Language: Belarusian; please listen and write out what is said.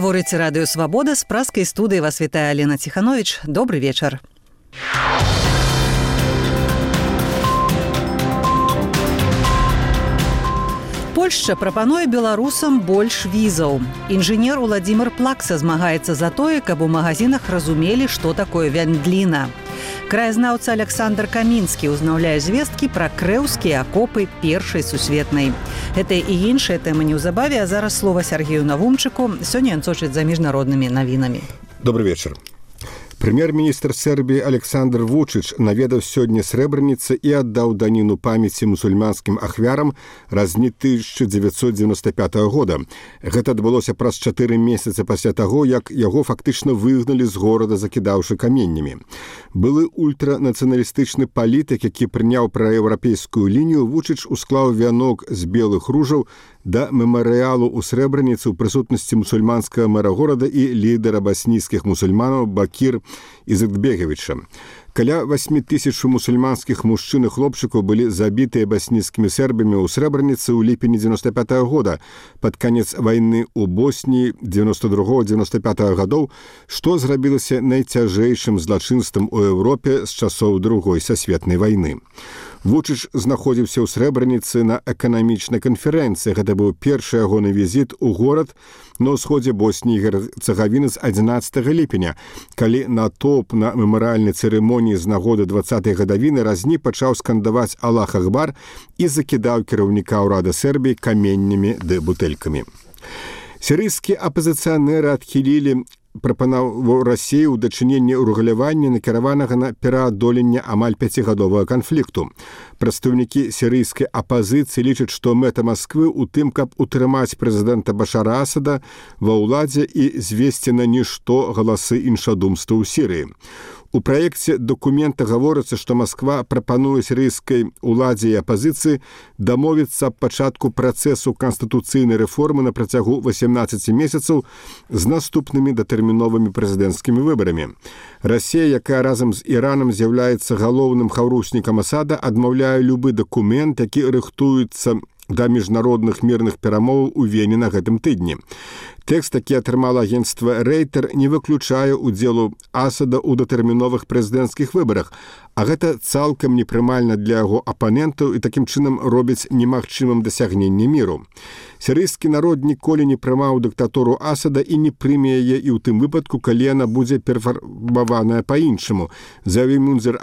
Гаворыць радыё «Свабода», з праскай студыі вас вітае Алена Ціхановіч. Добры вечар. Польшча прапануе беларусам больш візаў. Інжынер Уладзімір Плакса змагаецца за тое, каб у магазинах разумелі, што такое вяндліна. Краязнаўца Александр Камінскі ўзнаўляе звесткі пра крэўскія акопы Першай сусветнай. Гэта і іншыя тэмы неўзабаве, а зараз слова Сергею Навумчыку. Сёння ён сочыць за міжнароднымі навінамі. Добрый вечер. Прэм'ер-міністр Сербіі Александр Вучыч наведаў сёння Срэбраніцы і аддаў даніну памяці мусульманскім ахвярам разні 1995 года. Гэта адбылося праз 4 месяцы пасля таго, як яго фактычна выгналі з горада, закідаўшы каменнямі. Былы ультранацыяналістычны палітык, які прыняў праеўрапейскую лінію, Вучыч усклаў вянок з белых ружаў да мемарыялу ў Срэбраніцы ў прысутнасці мусульманскага мэра горада і лідара баснійскіх мусульманаў Бакір Ізетбегевіча. Каля 8 тысяч мусульманскіх мужчын і хлопчыкаў былі забітыя баснійскімі сербамі ў Срэбраніцы ў ліпені 95 года, пад канец вайны ў Босніі 92-95 гадоў, што зрабілася найцяжэйшым злачынствам у Еўропе з часоў Другой сусветнай вайны. Вучыч знаходзіўся ў Срэбраніцы на эканамічнай канферэнцыі. Гэта быў першы ягоны візіт у горад на ўсходзе Босніі і Герцагавіны з 11 ліпеня, калі натоўп на мемарыяльнай цырымоніі з нагоды 20-й гадавіны разні пачаў скандаваць «Аллах Акбар» і закідаў кіраўніка ўрада Сербіі каменнямі ды бутэлькамі. Сірыйскія апазіцыянеры адхілілі прапанову Расіі ў дачыненні ўрэгулявання, накіраванага на пераадоленне амаль 5гадовага канфлікту. Прадстаўнікі сірыйскай апазіцыі лічаць, што мэта Масквы ў тым, каб утрымаць прэзідэнта Башара Асада ва ўладзе і звесці на нішто галасы іншадумства ў Сірыі. У праекце дакумента гаворыцца, што Масква прапануе сірыйскай уладзе і апазіцыі дамовіцца аб пачатку працэсу канстытуцыйнай рэформы на працягу 18 месяцаў з наступнымі датэрміновымі прэзідэнцкімі выбарамі. Расія, якая разам з Іранам з'яўляецца галоўным хаўруснікам Асада, адмаўляе любы дакумент, які рыхтуецца да міжнародных мірных перамоваў у Вене на гэтым тыдні. Тэкст, які атрымала агенцтва Рейтер, не выключае удзелу Асада ў датэрміновых прэзідэнцкіх выбарах, а гэта цалкам непрымальна для яго апанентаў і такім чынам робіць немагчымым дасягненне міру. Сірыйскі народ ніколі не прымаў дыктатуру Асада і не прыме яе і ў тым выпадку, калі яна будзе перафарбаваная па-іншаму, заявіў Мунзер